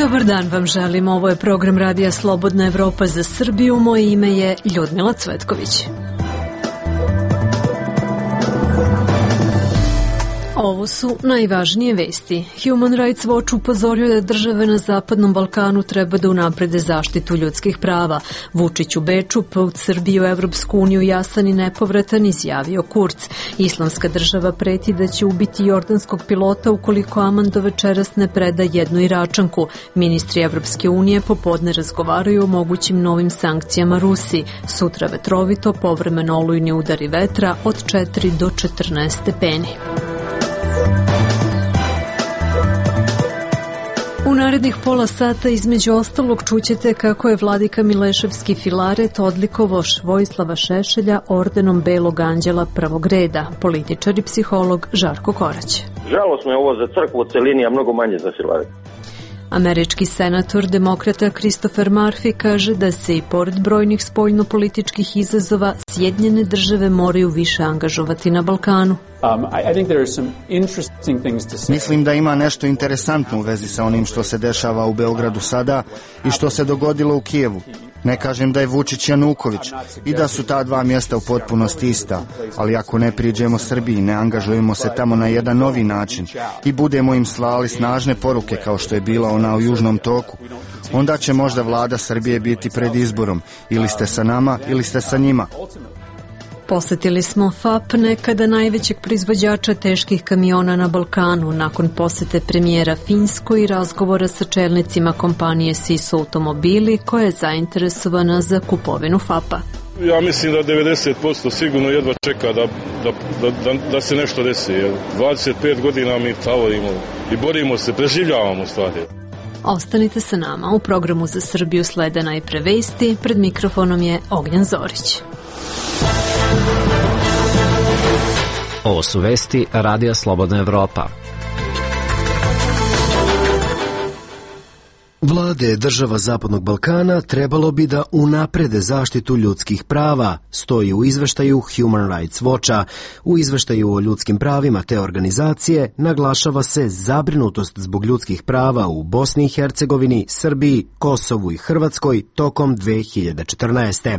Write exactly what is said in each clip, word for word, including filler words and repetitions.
Dobar dan vam želim, ovo je program Radija Slobodna Evropa za Srbiju, moje ime je Ljudmila Cvetković. Ovo su najvažnije vesti. Human Rights Watch upozorio da države na Zapadnom Balkanu treba da unaprede zaštitu ljudskih prava. Vučić u Beču, put Srbije u Evropsku uniju jasan i nepovratan, izjavio Kurz. Islamska država preti da će ubiti jordanskog pilota ukoliko Amando večeras ne preda jednu Iračanku. Ministri Evropske unije popodne razgovaraju o mogućim novim sankcijama Rusiji. Sutra vetrovito, povremeno olujni udari vetra od četiri do četrnaest stepeni. U narednih pola sata između ostalog čućete kako je vladika Mileševski Filaret odlikovao Vojislava Šešelja ordenom Belog anđela prvog reda, političar i psiholog Žarko Korać. Žalosno je ovo za crkvu u celini, a mnogo manje za Filaret. Američki senator demokrata Christopher Murphy kaže da se i pored brojnih spoljno-političkih izazova Sjedinjene države moraju više angažovati na Balkanu. Um, I, I think there are some interesting things to say. Mislim da ima nešto interesantno u vezi sa onim što se dešava u Beogradu sada i što se dogodilo u Kijevu. Ne kažem da je Vučić Januković i da su ta dva mjesta u potpunosti ista, ali ako ne priđemo Srbiji, ne angažujemo se tamo na jedan novi način i budemo im slali snažne poruke kao što je bila ona u Južnom toku, onda će možda vlada Srbije biti pred izborom, ili ste sa nama ili ste sa njima. Posetili smo F A P, nekada najvećeg proizvođača teških kamiona na Balkanu, nakon posete premijera Finskoj i razgovora sa čelnicima kompanije S I S automobili koja je zainteresovana za kupovinu F A P-a. Ja mislim da devedeset posto sigurno jedva čeka da, da, da, da se nešto desi. dvadeset pet godina mi tavorimo i borimo se, preživljavamo stvari. Ostanite sa nama, u programu za Srbiju slede najpre vesti, pred mikrofonom je Ognjan Zorić. Ovo su vesti Radija Slobodna Evropa. Vlade država Zapadnog Balkana trebalo bi da unaprede zaštitu ljudskih prava, stoji u izveštaju Human Rights Watcha. U izveštaju o ljudskim pravima te organizacije naglašava se zabrinutost zbog ljudskih prava u Bosni i Hercegovini, Srbiji, Kosovu i Hrvatskoj tokom dve hiljade četrnaeste.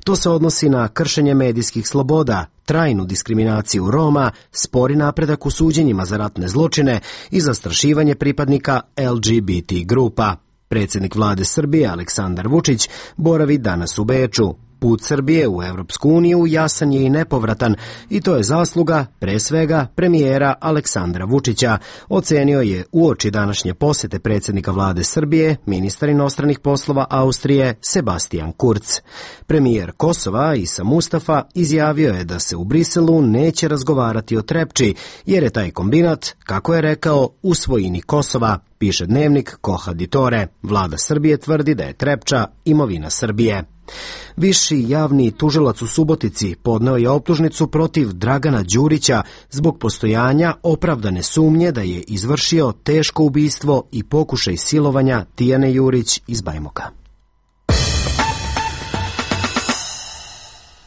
To se odnosi na kršenje medijskih sloboda, trajnu diskriminaciju Roma, spori napredak u suđenjima za ratne zločine i zastrašivanje pripadnika L G B T grupa. Predsjednik vlade Srbije Aleksandar Vučić boravi danas u Beču. Put Srbije u Evropsku uniju jasan je i nepovratan i to je zasluga, pre svega, premijera Aleksandra Vučića, ocenio je uoči današnje posete predsjednika vlade Srbije, ministar inostranih poslova Austrije Sebastian Kurz. Premijer Kosova Isa Mustafa izjavio je da se u Briselu neće razgovarati o Trepči, jer je taj kombinat, kako je rekao, u svojini Kosova, piše dnevnik Koha Ditore. Vlada Srbije tvrdi da je Trepča imovina Srbije. Viši javni tužilac u Subotici podneo je optužnicu protiv Dragana Đurića zbog postojanja opravdane sumnje da je izvršio teško ubistvo i pokušaj silovanja Tijane Jurić iz Bajmoka.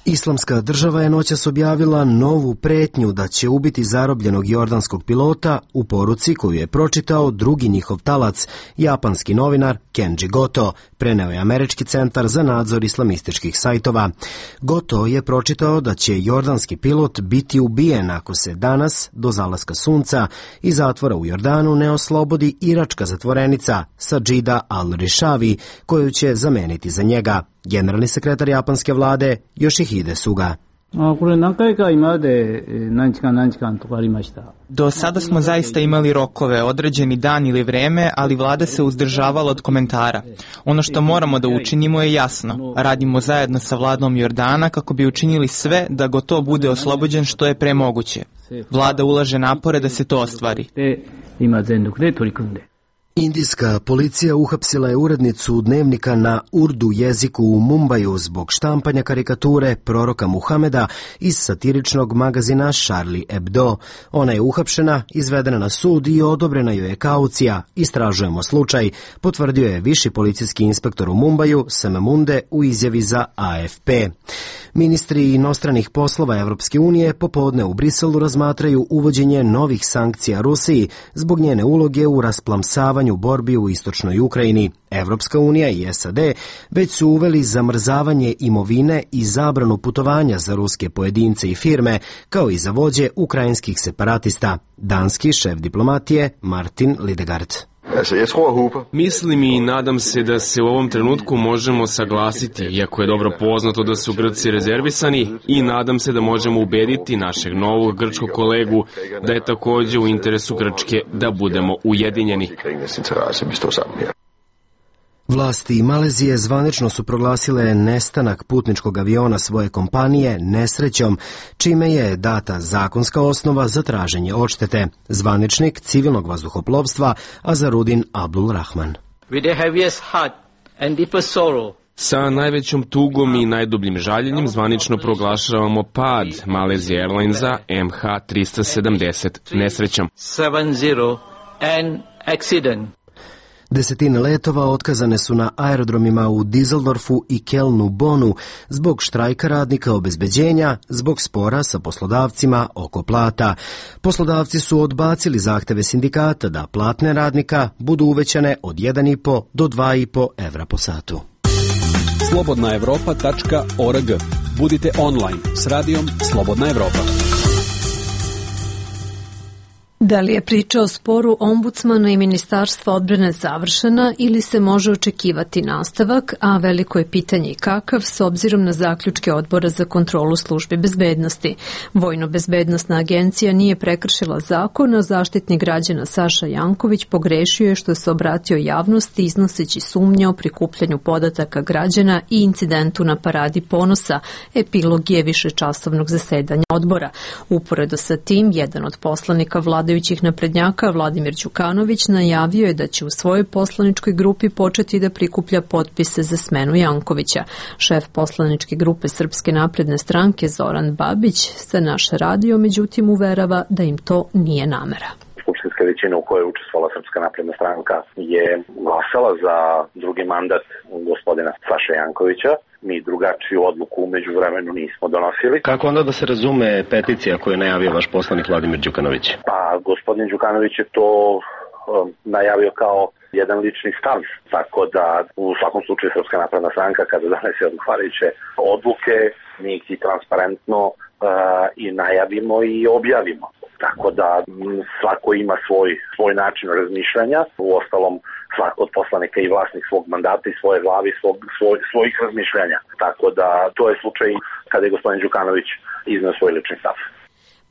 Islamska država je noćas objavila novu pretnju da će ubiti zarobljenog jordanskog pilota u poruci koju je pročitao drugi njihov talac, japanski novinar Kenji Goto, preneo je Američki centar za nadzor islamističkih sajtova. Goto je pročitao da će jordanski pilot biti ubijen ako se danas, do zalaska sunca, iz zatvora u Jordanu ne oslobodi iračka zatvorenica Sajida al-Rishavi, koju će zameniti za njega. Generalni sekretar japanske vlade Yoshihide Suga. Do sada smo zaista imali rokove, određeni dan ili vreme, ali vlada se uzdržavala od komentara. Ono što moramo da učinimo je jasno. Radimo zajedno sa vladom Jordana kako bi učinili sve da Goto bude oslobođen što je pre moguće. Vlada ulaže napore da se to ostvari. Indijska policija uhapsila je urednicu dnevnika na urdu jeziku u Mumbaju zbog štampanja karikature proroka Muhameda iz satiričnog magazina Charlie Hebdo. Ona je uhapšena, izvedena na sud i odobrena joj je kaucija. Istražujemo slučaj, potvrdio je viši policijski inspektor u Mumbaju, Sam Munde, u izjavi za A F P. Ministri inostranih poslova Evropske unije popodne u Briselu razmatraju uvođenje novih sankcija Rusiji zbog njene uloge u rasplamsavanju borbi u istočnoj Ukrajini. Evropska unija i S A D već su uveli zamrzavanje imovine i zabranu putovanja za ruske pojedince i firme, kao i za vođe ukrajinskih separatista. Danski šef diplomatije Martin Lidegaard. Mislim i nadam se da se u ovom trenutku možemo saglasiti, iako je dobro poznato da su Grci rezervisani, i nadam se da možemo ubediti našeg novog grčkog kolegu da je takođe u interesu Grčke da budemo ujedinjeni. Vlasti Malezije zvanično su proglasile nestanak putničkog aviona svoje kompanije nesrećom, čime je data zakonska osnova za traženje odštete. Zvaničnik civilnog vazduhoplovstva Azarudin Abdul Rahman. Sa najvećom tugom i najdubljim žaljenjem zvanično proglašavamo pad Malaysia Airlinesa M H tristo sedamdeset nesrećom. Desetine letova otkazane su na aerodromima u Düsseldorfu i Kelnu Bonu zbog štrajka radnika obezbeđenja, zbog spora sa poslodavcima oko plata. Poslodavci su odbacili zahteve sindikata da platne radnika budu uvećane od jedan i po do dva i po evra po satu. slobodna evropa tačka org. Budite online s radijom Slobodna Evropa. Da li je priča o sporu ombudsmana i Ministarstva odbrane završena ili se može očekivati nastavak, a veliko je pitanje kakav s obzirom na zaključke Odbora za kontrolu službi bezbednosti. Vojno-bezbednostna agencija nije prekršila zakon, a Zaštitnik građana Saša Janković pogrešio je što se obratio javnosti iznoseći sumnje o prikupljanju podataka građana i incidentu na Paradi ponosa. Epilog je višečasovnog zasedanja odbora. Uporedo sa tim, jedan od poslanika vlade naprednjaka Vladimir Đukanović najavio je da će u svojoj poslaničkoj grupi početi da prikuplja potpise za smenu Jankovića. Šef poslaničke grupe Srpske napredne stranke Zoran Babić za naš radio međutim uverava da im to nije namera. Skupštinska većina u kojoj je učestvovala Srpska napredna stranka je glasala za drugi mandat gospodina Saše Jankovića. Mi drugačiju odluku umeđu vremenu nismo donosili. Kako onda da se razume peticija koju je najavio vaš poslanik Vladimir Đukanović? Pa, gospodin Đukanović je to um, najavio kao jedan lični stav, tako da u svakom slučaju Srpska napredna stranka kada donese odgovarajuće odluke, mi ih i transparentno uh, i najavimo i objavimo. Tako da svako ima svoj, svoj način razmišljanja, u ostalom svako od poslanika i vlasnik svog mandata i svoje glave i svog, svoj, svojih razmišljanja. Tako da to je slučaj kada je gospodin Đukanović izneo svoj lični stav.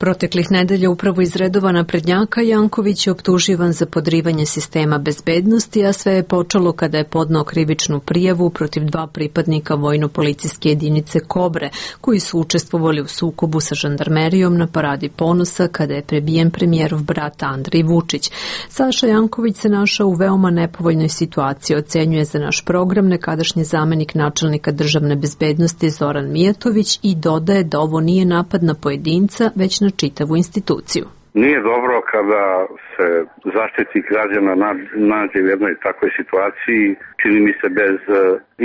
Proteklih nedelja upravo iz redova naprednjaka Janković je optuživan za podrivanje sistema bezbednosti, a sve je počelo kada je podneo krivičnu prijavu protiv dva pripadnika vojno-policijske jedinice Kobre, koji su učestvovali u sukobu sa žandarmerijom na Paradi ponosa kada je prebijen premijerov brat Andrej Vučić. Saša Janković se našao u veoma nepovoljnoj situaciji, ocenjuje za naš program nekadašnji zamenik načelnika državne bezbednosti Zoran Mijatović i dodaje da ovo nije napad na pojedinca, već na čitavu instituciju. Nije dobro kada se Zaštitnik građana nađe u jednoj takvoj situaciji, čini mi se bez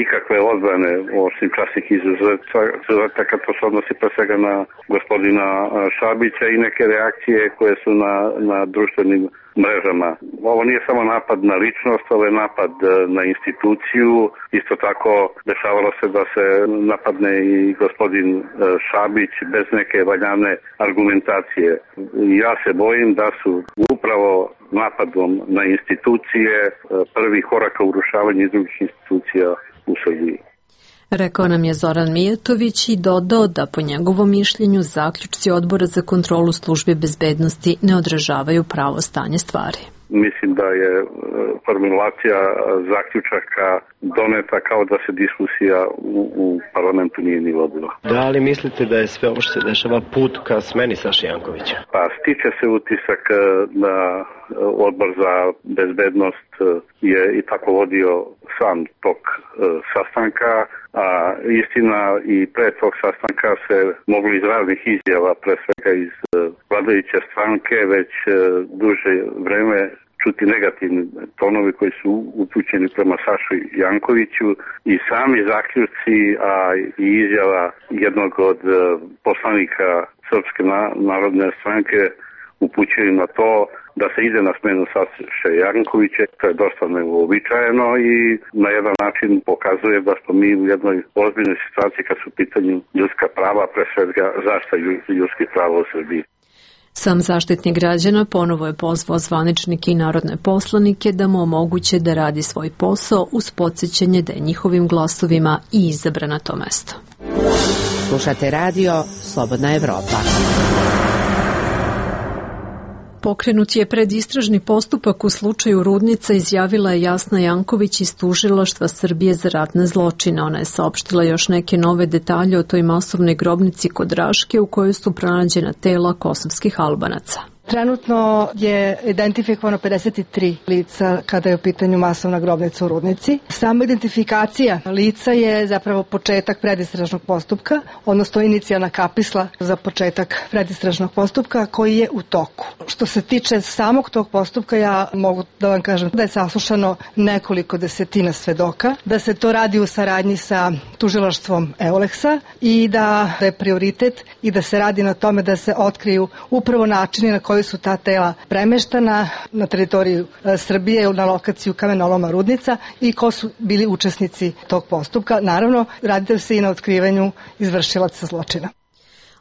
ikakve odbrane, osim časnih izuzetaka, to se odnosi pre svega na gospodina Šabića i neke reakcije koje su na, na društvenim mrežama. Ovo nije samo napad na ličnost, ovo je napad na instituciju. Isto tako dešavalo se da se napadne i gospodin Šabić bez neke valjane argumentacije. Ja se bojim da su upravo napadom na institucije prvi korak ka urušavanju drugih institucija u Srbiji. Rekao nam je Zoran Mijatović i dodao da po njegovom mišljenju zaključci Odbora za kontrolu službe bezbednosti ne odražavaju pravo stanje stvari. Mislim da je formulacija zaključaka doneta kao da se diskusija u, u parlamentu nije ni vodila. Da li mislite da je sve ovo što se dešava put ka smeni Saše Jankovića? Pa stiče se utisak da Odbor za bezbednost je i tako vodio sam tok sastanka, a istina i pre tog sastanka se mogli iz raznih izjava, pre svega iz vladajuće stranke, već duže vreme čuti negativni tonovi koji su upućeni prema Saši Jankoviću i sami zaključci, a i izjava jednog od poslanika Srpske narodne stranke upućuju na to da se ide na smenu Saše Jankovića. To je dosta neuobičajeno i na jedan način pokazuje da smo mi u jednoj ozbiljnoj situaciji kad su u pitanju ljudska prava, pre svega zaštita ljudskih prava u Srbiji. Sam Zaštitnik građana ponovo je pozvao zvaničnike i narodne poslanike da mu omoguće da radi svoj posao uz podsjećanje da je njihovim glasovima i izabran na to mesto. Slušate radio Slobodna Evropa. Pokrenut je predistražni postupak u slučaju Rudnica, izjavila je Jasna Janković iz Tužilaštva Srbije za ratne zločine. Ona je saopštila još neke nove detalje o toj masovnoj grobnici kod Raške u kojoj su pronađena tela kosovskih Albanaca. Trenutno je identifikovano pedeset tri lica kada je u pitanju masovna grobnica u Rudnici. Sama identifikacija lica je zapravo početak predistražnog postupka, odnosno inicijalna kapisla za početak predistražnog postupka koji je u toku. Što se tiče samog tog postupka, ja mogu da vam kažem da je saslušano nekoliko desetina svedoka, da se to radi u saradnji sa tužilaštvom Euleksa i da je prioritet i da se radi na tome da se otkriju upravo načini na koji su ta tela premeštana na teritoriju Srbije na lokaciju kamenoloma Rudnica i ko su bili učesnici tog postupka. Naravno, radi se i na otkrivanju izvršilaca zločina.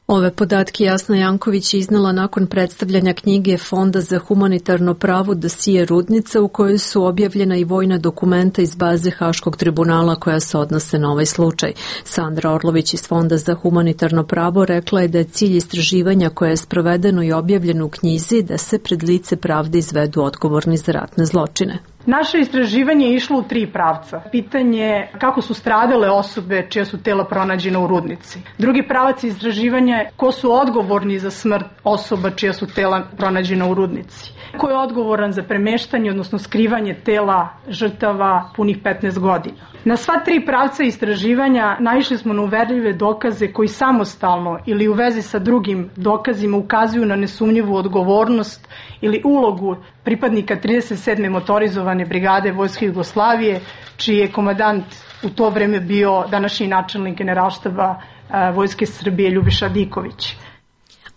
Ove podatke Jasna Janković je iznala nakon predstavljanja knjige Fonda za humanitarno pravo dosije Rudnica, u kojoj su objavljena i vojna dokumenta iz baze Haškog tribunala koja se odnose na ovaj slučaj. Sandra Orlović iz Fonda za humanitarno pravo rekla je da je cilj istraživanja koje je sprovedeno i objavljeno u knjizi da se pred lice pravde izvedu odgovorni za ratne zločine. Naše istraživanje je išlo u tri pravca. Pitanje kako su stradale osobe čija su tela pronađena u Rudnici. Drugi pravac istraživanja je ko su odgovorni za smrt osoba čija su tela pronađena u Rudnici. Ko je odgovoran za premeštanje, odnosno skrivanje tela žrtava punih petnaest godina. Na sva tri pravca istraživanja naišli smo na uverljive dokaze koji samostalno ili u vezi sa drugim dokazima ukazuju na nesumnjivu odgovornost ili ulogu pripadnika trideset sedme motorizovane brigade Vojske Jugoslavije, čiji je komandant u to vreme bio današnji načelnik Generalštaba Vojske Srbije Ljubiša Diković.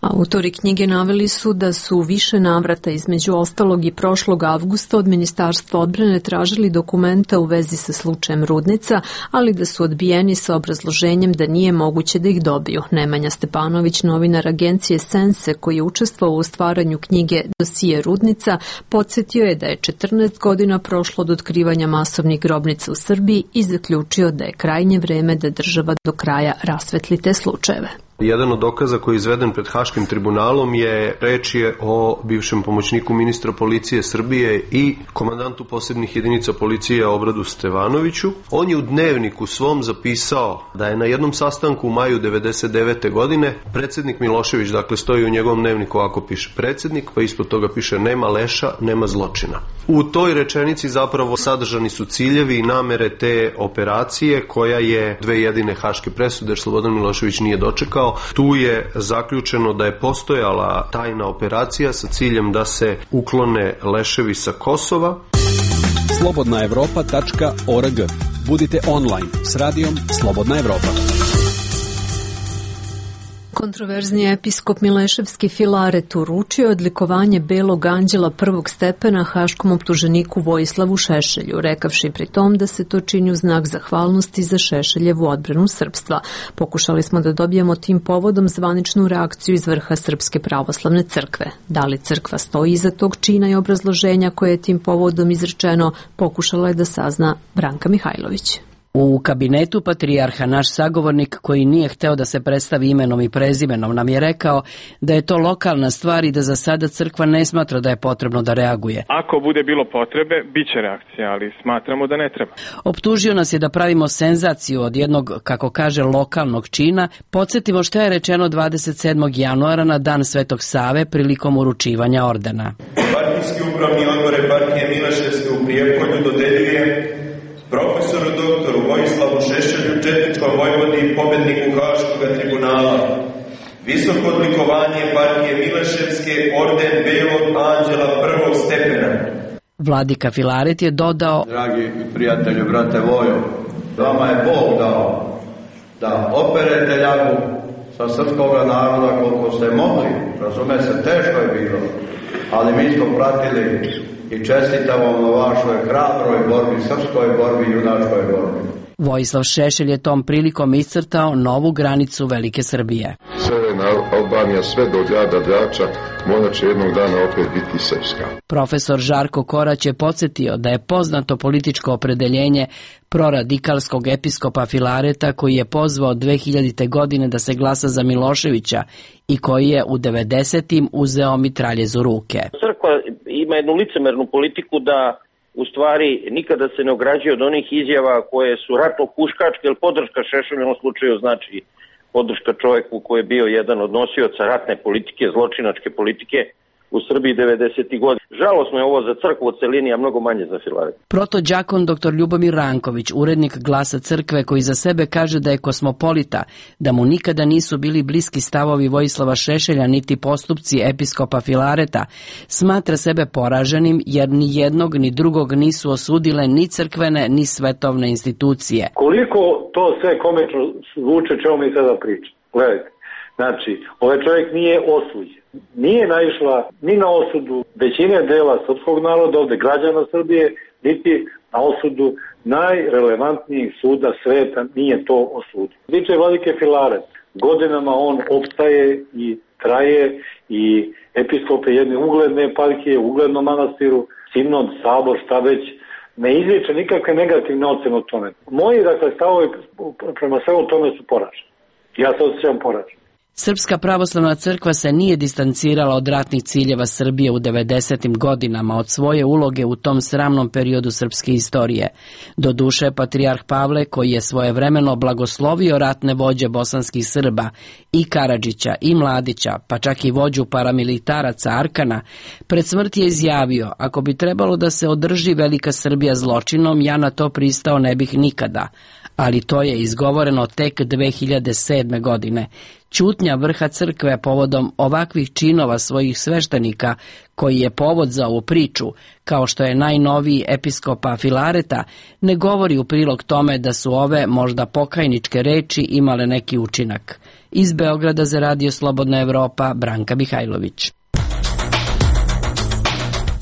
Autori knjige naveli su da su u više navrata, između ostalog i prošlog avgusta, od Ministarstva odbrane tražili dokumenta u vezi sa slučajem Rudnica, ali da su odbijeni sa obrazloženjem da nije moguće da ih dobiju. Nemanja Stepanović, novinar agencije Sense, koji je učestvovao u stvaranju knjige Dosije Rudnica, podsjetio je da je četrnaest godina prošlo od otkrivanja masovnih grobnica u Srbiji i zaključio da je krajnje vreme da država do kraja rasvetli te slučajeve. Jedan od dokaza koji je izveden pred Haškim tribunalom je reč je o bivšem pomoćniku ministra policije Srbije i komandantu posebnih jedinica policije Obradu Stevanoviću. On je u dnevniku svom zapisao da je na jednom sastanku u maju devedeset devete godine predsjednik Milošević, dakle stoji u njegovom dnevniku ako piše predsjednik, pa ispod toga piše nema leša, nema zločina. U toj rečenici zapravo sadržani su ciljevi i namere te operacije koja je dve jedine haške presude, jer Slobodan Milošević nije dočekao. Tu je zaključeno da je postojala tajna operacija sa ciljem da se uklone leševi sa Kosova. slobodna evropa tačka org. Budite online s radijom Slobodna Evropa. Kontroverzni episkop Mileševski Filaret uručio odlikovanje Belog anđela prvog stepena haškom optuženiku Vojislavu Šešelju, rekavši pri tom da se to čini u znak zahvalnosti za Šešeljevu odbranu srpstva. Pokušali smo da dobijemo tim povodom zvaničnu reakciju iz vrha Srpske pravoslavne crkve. Da li crkva stoji iza tog čina i obrazloženja koje je tim povodom izrečeno, pokušala je da sazna Branka Mihajlović. U kabinetu patrijarha naš sagovornik, koji nije hteo da se predstavi imenom i prezimenom, nam je rekao da je to lokalna stvar i da za sada crkva ne smatra da je potrebno da reaguje. Ako bude bilo potrebe, bit će reakcija, ali smatramo da ne treba. Optužio nas je da pravimo senzaciju od jednog, kako kaže, lokalnog čina. Podsjetimo šta je rečeno dvadeset sedmog januara na dan Svetog Save prilikom uručivanja ordena. Partijski upravni odbor eparhije Mileševske u Prijepolju dodeljuje profesoru doktoru Vojislavu Šešelju, četničkom vojvodi i pobedniku Haškog tribunala, visoko odlikovanje eparhije Mileševske, orden Belog anđela prvog stepena. Vladika Filaret je dodao: Dragi prijatelju, brate Vojo, vama je Bog dao da operete ljagu sa srpskog naroda koliko ste mogli, razume se, teško je bilo, ali mi smo pratili i čestitamo vam na vašoj hrabroj borbi, srpskoj borbi i junačkoj borbi. Vojislav Šešelj je tom prilikom iscrtao novu granicu Velike Srbije. Severna Albanija sve do grada Drača možda će jednog dana opet biti srpska. Profesor Žarko Korać je podsjetio da je poznato političko opredeljenje proradikalskog episkopa Filareta koji je pozvao dve hiljadite. godine da se glasa za Miloševića i koji je u devedesetim uzeo mitraljez u ruke. Crkva ima jednu licemernu politiku da u stvari nikada se ne ograđuje od onih izjava koje su ratno huškačke, jer podrška Šešelju u ovom slučaju znači podrška čovjeku koji je bio jedan od nosioca ratne politike, zločinačke politike u Srbiji devedesetih godina. Žalosno je ovo za crkvu u celini, a mnogo manje za Filaret. Protođakon dr Ljubomir Ranković, urednik Glasa crkve, koji za sebe kaže da je kosmopolita, da mu nikada nisu bili bliski stavovi Vojislava Šešelja niti postupci episkopa Filareta, smatra sebe poraženim jer ni jednog ni drugog nisu osudile ni crkvene ni svetovne institucije. Koliko to sve komično zvuče čemu mi sada pričamo? Gledajte, znači, ovaj čovjek nije osuđen. Nije naišla ni na osudu većine dela srpskog naroda, ovde građana Srbije, niti na osudu najrelevantnijih suda sveta, nije to osudio. Tiče vladike Filaret, godinama on opstaje i traje i episkope jedne ugledne eparhije, uglednom manastiru, sinod, sabor, šta već, ne izliče nikakve negativne ocene o tome. Moji, dakle, stavovi prema svemu tome su poraženi. Ja se osjećam poražen. Srpska pravoslavna crkva se nije distancirala od ratnih ciljeva Srbije u devedesetim godinama, od svoje uloge u tom sramnom periodu srpske istorije. Doduše, patrijarh Pavle, koji je svojevremeno blagoslovio ratne vođe bosanskih Srba, i Karadžića, i Mladića, pa čak i vođu paramilitaraca Arkana, pred smrt je izjavio: ako bi trebalo da se održi Velika Srbija zločinom, ja na to pristao ne bih nikada. Ali to je izgovoreno tek dve hiljade sedme. godine. Ćutnja vrha crkve povodom ovakvih činova svojih sveštenika, koji je povod za ovu priču, kao što je najnoviji episkopa Filareta, ne govori u prilog tome da su ove možda pokajničke reči imale neki učinak. Iz Beograda za Radio Slobodna Evropa, Branka Mihajlović.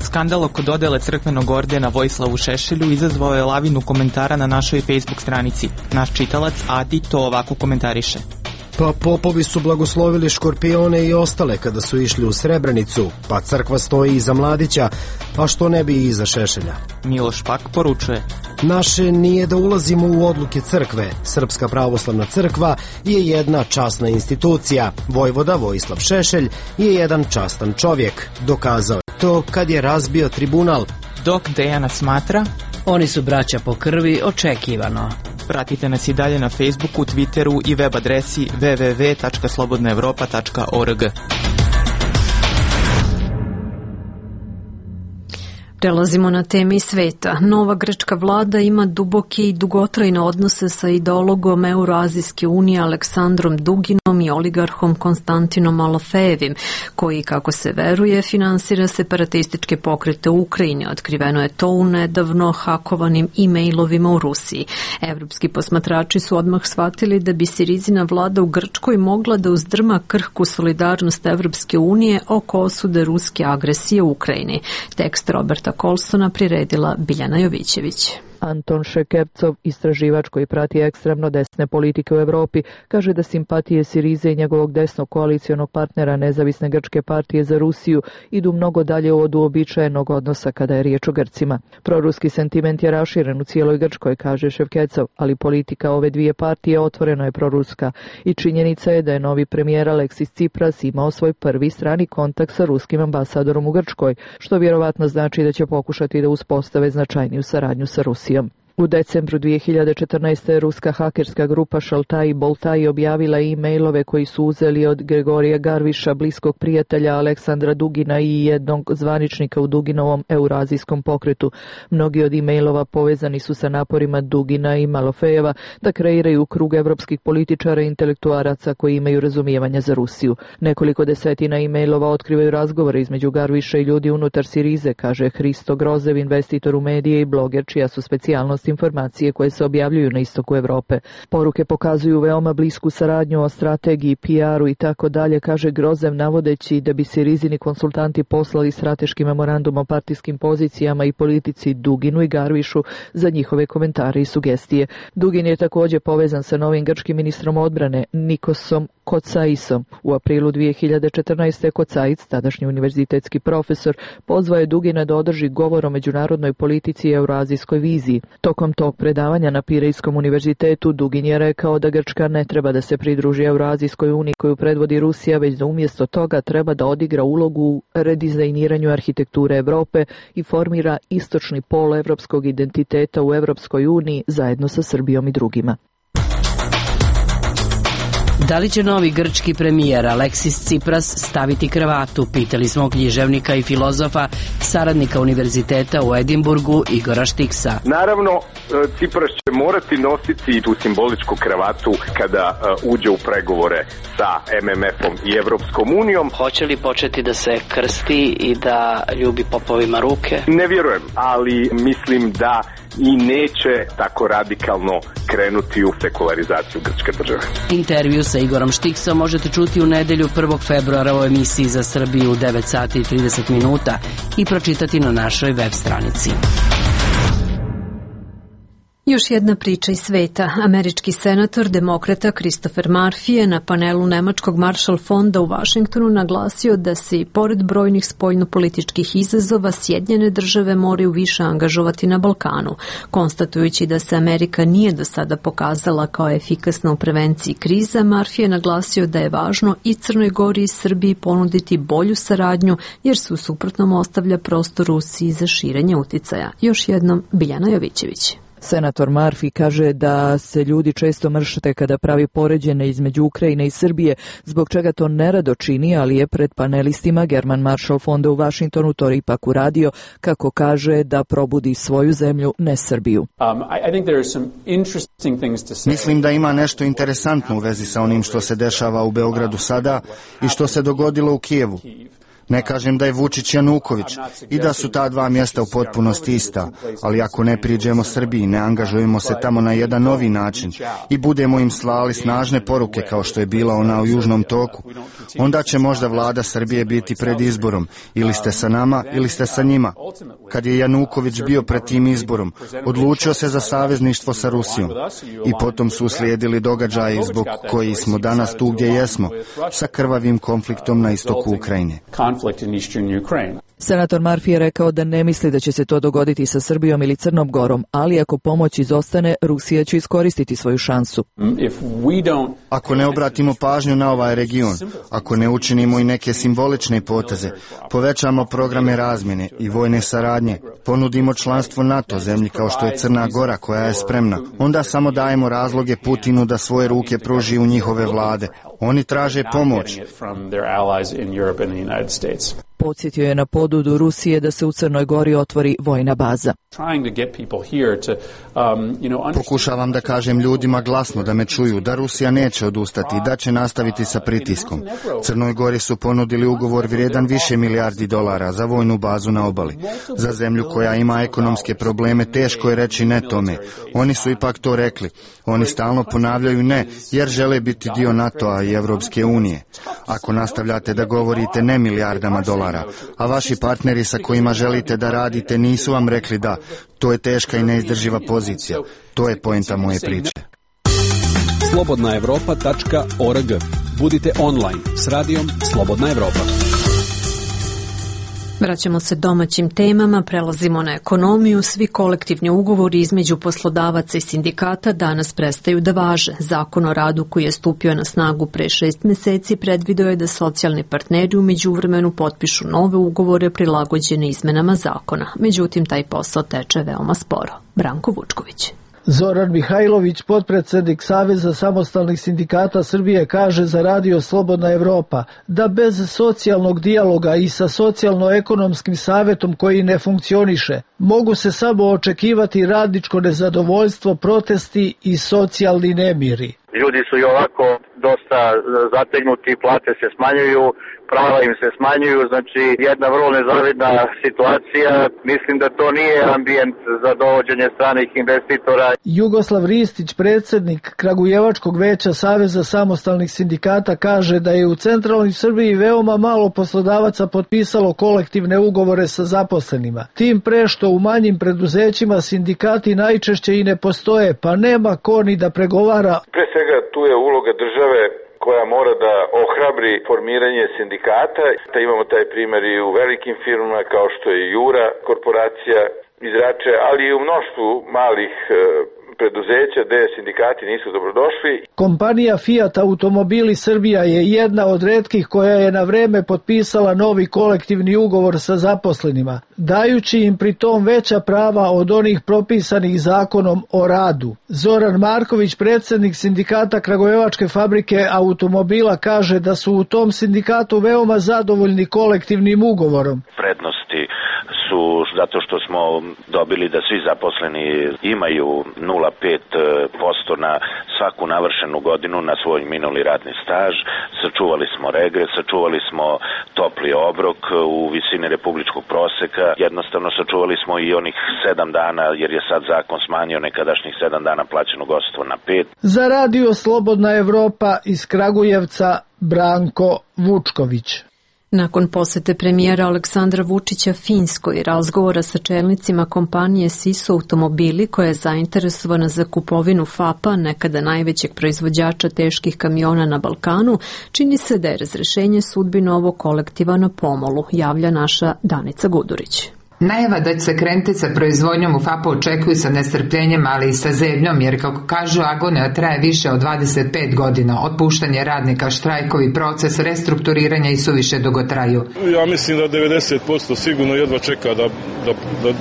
Skandal oko dodele crkvenog ordena Vojislavu Šešelju izazvao je lavinu komentara na našoj Facebook stranici. Naš čitalac Adi to ovako komentariše. Pa popovi su blagoslovili škorpione i ostale kada su išli u Srebrenicu, pa crkva stoji iza Mladića, a što ne bi i iza Šešelja. Miloš pak poručuje: naše nije da ulazimo u odluke crkve. Srpska pravoslavna crkva je jedna časna institucija. Vojvoda Vojislav Šešelj je jedan častan čovjek. Dokazao je to kad je razbio tribunal. Dok Dejana smatra: oni su braća po krvi, očekivano. Pratite nas i dalje na Facebooku, Twitteru i web adresi w w w tačka slobodna evropa tačka org. Prelazimo na teme iz sveta. Nova grčka vlada ima duboke i dugotrajne odnose sa ideologom Euroazijske unije Aleksandrom Duginom i oligarhom Konstantinom Malofejevim, koji, kako se veruje, finansira separatističke pokrete u Ukrajini. Otkriveno je to u nedavno hakovanim e-mailovima u Rusiji. Evropski posmatrači su odmah shvatili da bi Sirizina vlada u Grčkoj mogla da uzdrma krhku solidarnost Evropske unije oko osude ruske agresije u Ukrajini. Tekst Roberta Kolsona priredila Biljana Jovićević. Anton Šekercov, istraživač koji prati ekstremno desne politike u Evropi, kaže da simpatije Sirize i njegovog desnog koalicijonog partnera Nezavisne grčke partije za Rusiju idu mnogo dalje od uobičajenog odnosa kada je riječ o Grcima. Proruski sentiment je raširen u cijeloj Grčkoj, kaže Ševkecov, ali politika ove dvije partije otvoreno je proruska i činjenica je da je novi premijer Aleksis Tsipras imao svoj prvi strani kontakt sa ruskim ambasadorom u Grčkoj, što vjerovatno znači da će pokušati da uspostave značajniju saradnju sa Rusijom. U decembru dvije hiljade četrnaeste. ruska hakerska grupa Šaltaj Boltaj objavila e-mailove koji su uzeli od Gregorija Garviša, bliskog prijatelja Aleksandra Dugina i jednog zvaničnika u Duginovom eurazijskom pokretu. Mnogi od e-mailova povezani su sa naporima Dugina i Malofejeva da kreiraju krug evropskih političara i intelektuaraca koji imaju razumijevanja za Rusiju. Nekoliko desetina e-mailova otkrivaju razgovore između Garviša i ljudi unutar Sirize, kaže Hristo Grozev, investitor u medije i bloger čija su specijalnost informacije koje se objavljuju na istoku Evrope. Poruke pokazuju veoma blisku saradnju o strategiji, P R-u i tako dalje, kaže Grozev, navodeći da bi Sirizini konsultanti poslali strateški memorandum o partijskim pozicijama i politici Duginu i Garvišu za njihove komentare i sugestije. Dugin je također povezan sa novim grčkim ministrom odbrane Nikosom Kotsaisom. U aprilu dvije hiljade četrnaeste. Kotsaic, tadašnji univerzitetski profesor, pozvao je Dugina da održi govor o međunarodnoj politici i eurazijskoj viziji. Tokom tog predavanja na Pirejskom univerzitetu Dugin je rekao da Grčka ne treba da se pridruži Eurazijskoj uniji koju predvodi Rusija, već da umjesto toga treba da odigra ulogu u redizajniranju arhitekture Evrope i formira istočni pol evropskog identiteta u Evropskoj uniji zajedno sa Srbijom i drugima. Da li će novi grčki premijer Aleksis Tsipras staviti kravatu, pitali smo književnika i filozofa, saradnika univerziteta u Edinburgu Igora Štiksa. Naravno, Tsipras će morati nositi tu simboličku kravatu kada uđe u pregovore sa M M F-om i Evropskom unijom. Hoće li početi da se krsti i da ljubi popovima ruke? Ne vjerujem, ali mislim da i neće tako radikalno krenuti u sekularizaciju grčke države. Intervju sa Igorom Štiksom možete čuti u nedelju prvog februara u emisiji za Srbiju u devet sati i trideset minuta i pročitati na našoj web stranici. Još jedna priča iz sveta. Američki senator demokrata Christopher Murphy je na panelu Nemačkog Marshall fonda u Vašingtonu naglasio da se i pored brojnih spoljnopolitičkih izazova Sjedinjene države moraju više angažovati na Balkanu, konstatujući da se Amerika nije do sada pokazala kao efikasna u prevenciji kriza. Murphy je naglasio da je važno i Crnoj Gori i Srbiji ponuditi bolju saradnju, jer se u suprotnom ostavlja prostor Rusiji za širenje uticaja. Još jednom, Biljana Jovićević. Senator Murphy kaže da se ljudi često mršte kada pravi poređenje između Ukrajine i Srbije, zbog čega to nerado čini, ali je pred panelistima German Marshall fonda u Vašingtonu to ipak uradio, kako kaže, da probudi svoju zemlju, ne Srbiju. Um, I, I think there are some interesting things to say. Mislim da ima nešto interesantno u vezi sa onim što se dešava u Beogradu sada i što se dogodilo u Kijevu. Ne kažem da je Vučić Januković i da su ta dva mjesta u potpunosti ista, ali ako ne priđemo Srbiji, ne angažujemo se tamo na jedan novi način i budemo im slali snažne poruke kao što je bila ona u Južnom toku, onda će možda vlada Srbije biti pred izborom, ili ste sa nama ili ste sa njima. Kad je Januković bio pred tim izborom, odlučio se za savezništvo sa Rusijom i potom su uslijedili događaji zbog koji smo danas tu gdje jesmo, sa krvavim konfliktom na istoku Ukrajine. Senator Murphy je rekao da ne misli da će se to dogoditi sa Srbijom ili Crnom Gorom, ali ako pomoć izostane, Rusija će iskoristiti svoju šansu. Ako ne obratimo pažnju na ovaj region, ako ne učinimo i neke simbolične poteze, povećamo programe razmjene i vojne saradnje, ponudimo članstvo NATO zemlji kao što je Crna Gora koja je spremna, onda samo dajemo razloge Putinu da svoje ruke pruži u njihove vlade. Oni traže pomoć. Podsjetio je na ponudu Rusije da se u Crnoj Gori otvori vojna baza. Pokušavam da kažem ljudima glasno da me čuju, da Rusija neće odustati i da će nastaviti sa pritiskom. Crnoj Gori su ponudili ugovor vrijedan više milijardi dolara za vojnu bazu na obali. Za zemlju koja ima ekonomske probleme teško je reći ne tome. Oni su ipak to rekli. Oni stalno ponavljaju ne, jer žele biti dio NATO-a i Evropske unije. Ako nastavljate da govorite ne milijardama dolara, a vaši partneri sa kojima želite da radite nisu vam rekli da, to je teška i neizdrživa pozicija. To je poenta moje priče. slobodna evropa tačka org. Budite online s radijom Slobodna Evropa. Vraćamo se domaćim temama, prelazimo na ekonomiju. Svi kolektivni ugovori između poslodavaca i sindikata danas prestaju da važe. Zakon o radu koji je stupio na snagu pre šest meseci predvideo je da socijalni partneri u međuvremenu potpišu nove ugovore prilagođene izmenama zakona. Međutim, taj posao teče veoma sporo. Branko Vučković. Zoran Mihajlović, potpredsednik Saveza samostalnih sindikata Srbije, kaže za Radio Slobodna Evropa da bez socijalnog dijaloga i sa socijalno-ekonomskim savetom koji ne funkcioniše, mogu se samo očekivati radničko nezadovoljstvo, protesti i socijalni nemiri. Ljudi su i ovako dosta zategnuti, plate se smanjuju, prava im se smanjuju, znači jedna vrlo nezavidna situacija. Mislim da to nije ambijent za dovođenje stranih investitora. Jugoslav Ristić, predsednik Kragujevačkog veća Saveza samostalnih sindikata, kaže da je u centralnoj Srbiji veoma malo poslodavaca potpisalo kolektivne ugovore sa zaposlenima. Tim pre što u manjim preduzećima sindikati najčešće i ne postoje, pa nema ko ni da pregovara. Pre svega tu je uloga države koja mora da ohrabri formiranje sindikata. Da imamo taj primjer i u velikim firmama kao što je Jura korporacija iz Rače, ali i u mnoštvu malih preduzeća gde sindikati nisu dobrodošli. Kompanija Fiat Automobili Srbija je jedna od retkih koja je na vreme potpisala novi kolektivni ugovor sa zaposlenima, dajući im pri tom veća prava od onih propisanih zakonom o radu. Zoran Marković, predsednik sindikata Kragujevačke fabrike automobila, kaže da su u tom sindikatu veoma zadovoljni kolektivnim ugovorom. Prednosti su zato što smo dobili da svi zaposleni imaju nula zarez pet posto na svaku navršenu godinu na svoj minuli radni staž, sačuvali smo regres, sačuvali smo topli obrok u visini republičkog proseka, jednostavno sačuvali smo i onih sedam dana, jer je sad zakon smanjio nekadašnjih sedam dana plaćenog odsustva na pet. Za Radio Slobodna Evropa iz Kragujevca, Branko Vučković. Nakon posete premijera Aleksandra Vučića Finskoj i razgovora sa čelnicima kompanije Sisu Automobili, koja je zainteresovana za kupovinu F A P-a, nekada najvećeg proizvođača teških kamiona na Balkanu, čini se da je razrešenje sudbine ovog kolektiva na pomolu, javlja naša Danica Gudurić. Najava da će se krenuti sa proizvodnjom u F A P-u očekuju sa nestrpljenjem, ali i sa zebnjom, jer kako kažu agonija traje više od dvadeset pet godina. Otpuštanje radnika, štrajkovi, proces restrukturiranja i suviše dugo traju. Ja mislim da devedeset posto sigurno jedva čeka da, da,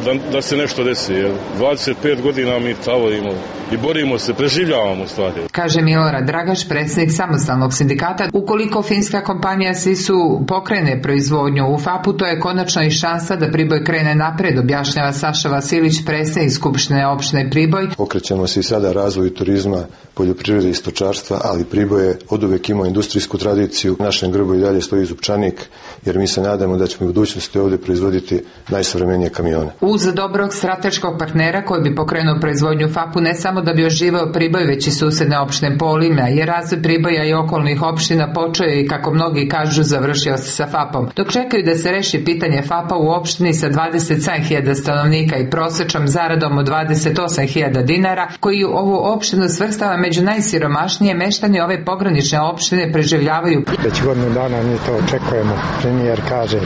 da, da se nešto desi. dvadeset pet godina mi tavorimo i borimo se, preživljavamo stvari. Kaže Milorad Dragaš, predsjednik samostalnog sindikata. Ukoliko finska kompanija Sisu pokrene proizvodnju u F A P-u, to je konačno i šansa da Priboj krene napred, objašnjava Saša Vasilić, predsjednik Skupštine opštine Priboj. Okrećemo se i sada razvoju turizma, poljoprivrede i stočarstva, ali Priboj je oduvek imao industrijsku tradiciju. U našem grbu i dalje stoji zupčanik, jer mi se nadamo da ćemo u budućnosti ovdje proizvoditi najsavremenije kamione. Uz dobrog strateškog partnera koji bi pokrenuo proizvodnju F A P-u, ne samo da bi oživao Priboj, već i susedne opštine Polimlja, jer razvoj Priboja i okolnih opština počeo je i, kako mnogi kažu, završio se sa F A P-om. Dok čekaju da se reši pitanje F A P-a u opštini sa dvadeset sedam hiljada stanovnika i prosečnom zaradom od dvadeset osam hiljada dinara, koji ovu opštinu svrstava među najsiromašnije, meštani ove pogranične opštine preživljavaju. Već godinu dana mi to očekujemo. Premijer kaže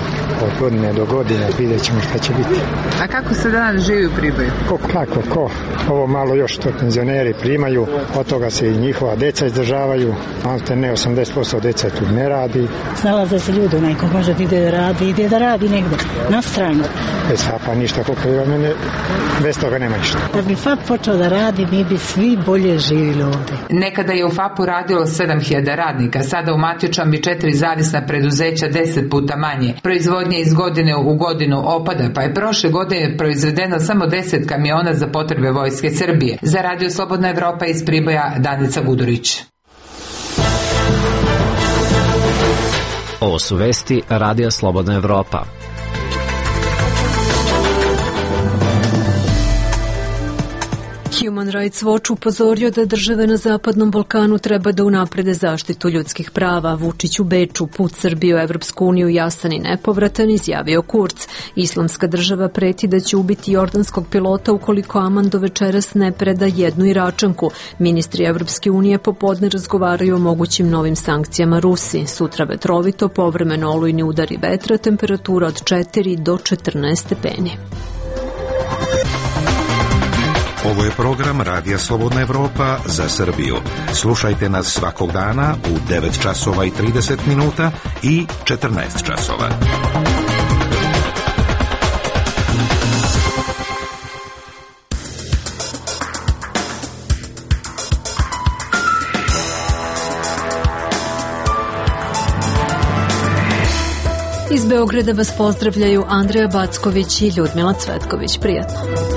od godine do godine, vidjet ćemo šta će biti. A kako se danas živi u Priboju? Ko, kako, ko? Ovo malo još to penzioneri primaju, od toga se i njihova deca izdržavaju, a ne osamdeset posto deca tu ne radi. Snalaze se ljudi, neko može da ide da radi, ide da radi negde, na stranu. Bez F A P-a ništa, koliko je mene, bez toga nema ništa. Da bi F A P počeo da radi, mi bi svi bolje živjeli ovdje. Nekada je u F A P-u radilo sedam hiljada radnika, sada u Matjučan bi četiri zavisna preduzeća deset puta manje. Proizvodnja iz godine u godinu opada, pa je prošle godine proizvedeno samo deset kamiona za potrebe Vojske Srbije. Za Radio Slobodna Evropa iz Priboja, Danica Gudurić. Ovo su vesti Radio Slobodna Evropa. Human Rights Watch upozorio da države na Zapadnom Balkanu treba da unaprede zaštitu ljudskih prava. Vučić u Beču, put Srbije u Evropsku uniju jasan i nepovratan, izjavio Kurz. Islamska država preti da će ubiti jordanskog pilota ukoliko Aman do večeras ne preda jednu Iračanku. Ministri Evropske unije popodne razgovaraju o mogućim novim sankcijama Rusiji. Sutra vetrovito, povremeno olujni udari vetra, temperatura od četiri do četrnaest stepeni. Ovo je program Radija Slobodna Evropa za Srbiju. Slušajte nas svakog dana u devet časova i trideset minuta i četrnaest časova. Iz Beograda vas pozdravljaju Andreja Backović i Ljudmila Cvetković. Prijatno.